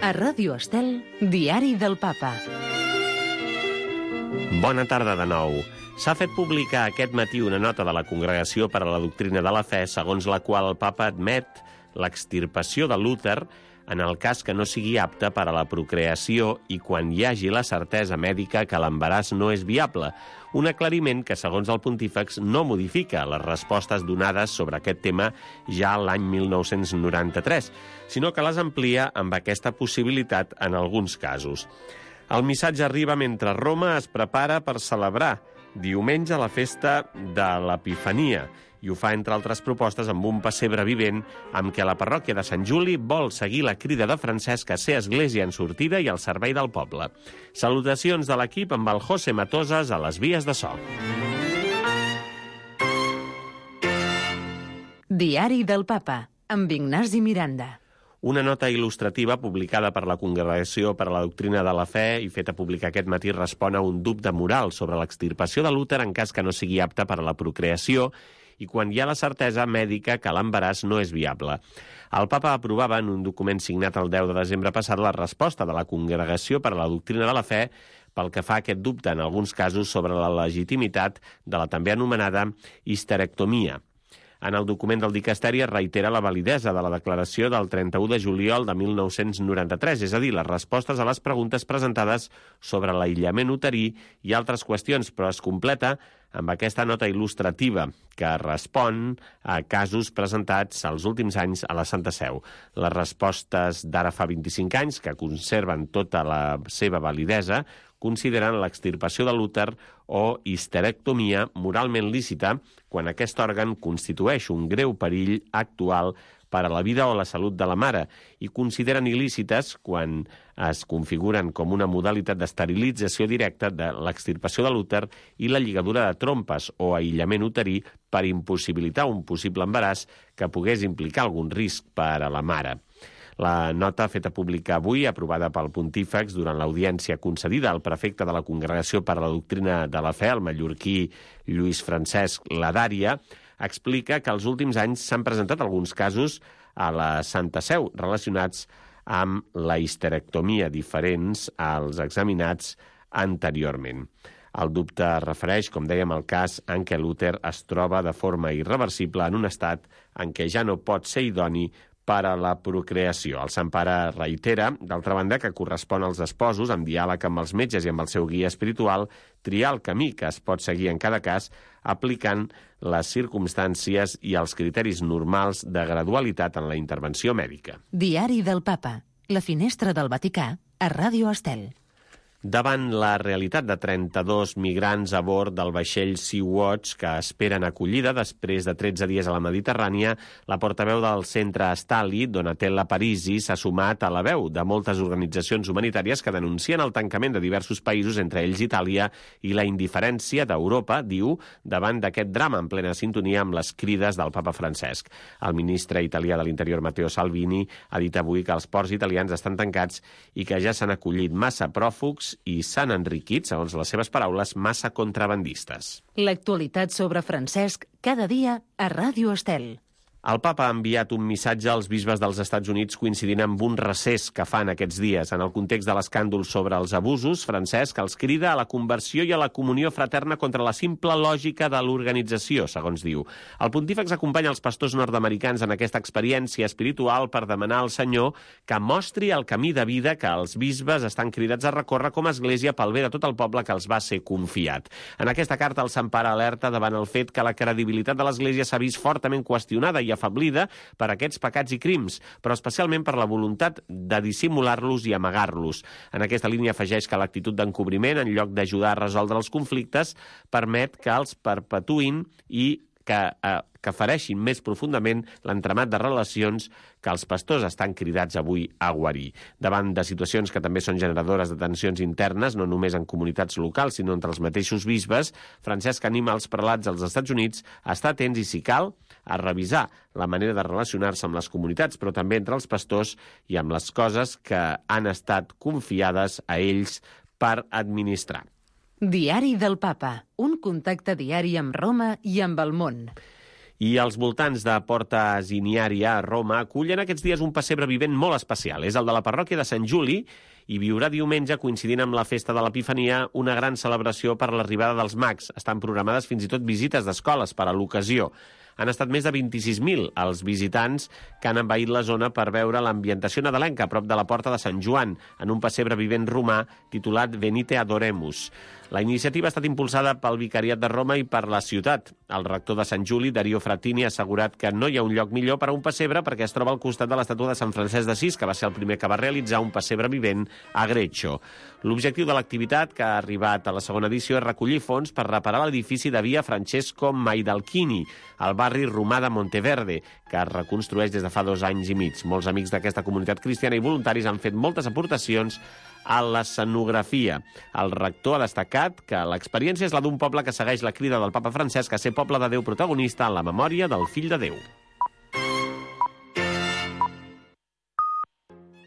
A Ràdio Estel, Diari del Papa. Bona tarda de nou. S'ha fet publicar aquest matí una nota de la Congregació per a la Doctrina de la Fe, segons la qual el Papa admet l'extirpació de l'úter en el cas que no sigui apte per a la procreació i quan hi hagi la certesa mèdica que l'embaràs no és viable. Un aclariment que, segons el pontífex, no modifica les respostes donades sobre aquest tema ja l'any 1993, sinó que les amplia amb aquesta possibilitat en alguns casos. El missatge arriba mentre Roma es prepara per celebrar diumenge la festa de l'Epifania, i ho fa, entre altres propostes, amb un pessebre vivent amb què la parròquia de Sant Juli vol seguir la crida de Francesc a ser església en sortida i al servei del poble. Salutacions de l'equip amb el José Matosas a les vies de so. Diari del Papa, amb Ignasi Miranda. Una nota il·lustrativa publicada per la Congregació per a la Doctrina de la Fe i feta pública aquest matí respon a un dubte moral sobre l'extirpació de l'úter en cas que no sigui apte per a la procreació i quan hi ha la certesa mèdica que l'embaràs no és viable. El Papa aprovava en un document signat el 10 de desembre passat la resposta de la Congregació per a la Doctrina de la Fe pel que fa a aquest dubte en alguns casos sobre la legitimitat de la també anomenada histerectomia. En el document del dicasteri es reitera la validesa de la declaració del 31 de juliol de 1993, és a dir, les respostes a les preguntes presentades sobre l'aïllament uterí i altres qüestions, però es completa amb aquesta nota il·lustrativa que respon a casos presentats els últims anys a la Santa Seu. Les respostes d'ara fa 25 anys, que conserven tota la seva validesa, consideren l'extirpació de l'úter o histerectomia moralment lícita quan aquest òrgan constitueix un greu perill actual per a la vida o la salut de la mare i consideren il·lícites quan es configuren com una modalitat d'esterilització directa de l'extirpació de l'úter i la lligadura de trompes o aïllament uterí per impossibilitar un possible embaràs que pogués implicar algun risc per a la mare. La nota feta pública avui, aprovada pel pontífex durant l'audiència concedida al prefecte de la Congregació per a la Doctrina de la Fe, el mallorquí Lluís Francesc Ladària, explica que els últims anys s'han presentat alguns casos a la Santa Seu relacionats amb la histerectomia diferents als examinats anteriorment. El dubte es refereix, com dèiem, al cas en què l'úter es troba de forma irreversible en un estat en què ja no pot ser idoni per a la procreació. El Sant Pare reitera, d'altra banda, que correspon als esposos, amb diàleg amb els metges i amb el seu guia espiritual, triar el camí que es pot seguir en cada cas, aplicant les circumstàncies i els criteris normals de gradualitat en la intervenció mèdica. Diari del Papa, la finestra del Vaticà, a Ràdio Estel. Davant la realitat de 32 migrants a bord del vaixell Sea-Watch que esperen acollida després de 13 dies a la Mediterrània, la portaveu del centre Stali, Donatella Parisi, s'ha sumat a la veu de moltes organitzacions humanitàries que denuncien el tancament de diversos països, entre ells Itàlia, i la indiferència d'Europa, diu, davant d'aquest drama en plena sintonia amb les crides del papa Francesc. El ministre italià de l'Interior, Matteo Salvini, ha dit avui que els ports italians estan tancats i que ja s'han acollit massa pròfugs i s'han enriquit, segons les seves paraules, massa contrabandistes. L'actualitat sobre Francesc, cada dia a Ràdio Estel. El papa ha enviat un missatge als bisbes dels Estats Units coincidint amb un recés que fan aquests dies. En el context de l'escàndol sobre els abusos, Francesc els crida a la conversió i a la comunió fraterna contra la simple lògica de l'organització, segons diu. El pontífex acompanya els pastors nord-americans en aquesta experiència espiritual per demanar al Senyor que mostri el camí de vida que els bisbes estan cridats a recórrer com a església pel bé de tot el poble que els va ser confiat. En aquesta carta, el Sant Pare alerta davant el fet que la credibilitat de l'església s'ha vist fortament qüestionada i afablida per aquests pecats i crims, però especialment per la voluntat de dissimular-los i amagar-los. En aquesta línia afegeix que l'actitud d'encobriment, en lloc d'ajudar a resoldre els conflictes, permet que els perpetuïn i que fereixin més profundament l'entramat de relacions que els pastors estan cridats avui a guarir. Davant de situacions que també són generadores de tensions internes, no només en comunitats locals, sinó entre els mateixos bisbes, Francesc anima els prelats als Estats Units a estar atents i, si cal, a revisar la manera de relacionar-se amb les comunitats, però també entre els pastors i amb les coses que han estat confiades a ells per administrar. Diari del Papa, un contacte diari amb Roma i amb el món. I els voltants de Porta Ziniària a Roma acullen aquests dies un pessebre vivent molt especial. És el de la parròquia de Sant Juli i viurà diumenge, coincidint amb la festa de l'Epifania, una gran celebració per l'arribada dels mags. Estan programades fins i tot visites d'escoles per a l'ocasió. Han estat més de 26.000 els visitants que han envaït la zona per veure l'ambientació nadalenca a prop de la Porta de Sant Joan, en un pessebre vivent romà titulat Venite Adoremus. La iniciativa ha estat impulsada pel Vicariat de Roma i per la ciutat. El rector de Sant Juli, Dario Frattini, ha assegurat que no hi ha un lloc millor per a un pessebre perquè es troba al costat de l'estàtua de Sant Francesc d'Assís, que va ser el primer que va realitzar un pessebre vivent a Greccio. L'objectiu de l'activitat, que ha arribat a la segona edició, és recollir fons per reparar l'edifici de via Francesco Maidalchini, al barri romà de Monteverde, que es reconstrueix des de fa 2 anys i mig. Molts amics d'aquesta comunitat cristiana i voluntaris han fet moltes aportacions a l'escenografia. El rector ha destacat que l'experiència és la d'un poble que segueix la crida del papa Francesc a ser poble de Déu protagonista en la memòria del Fill de Déu.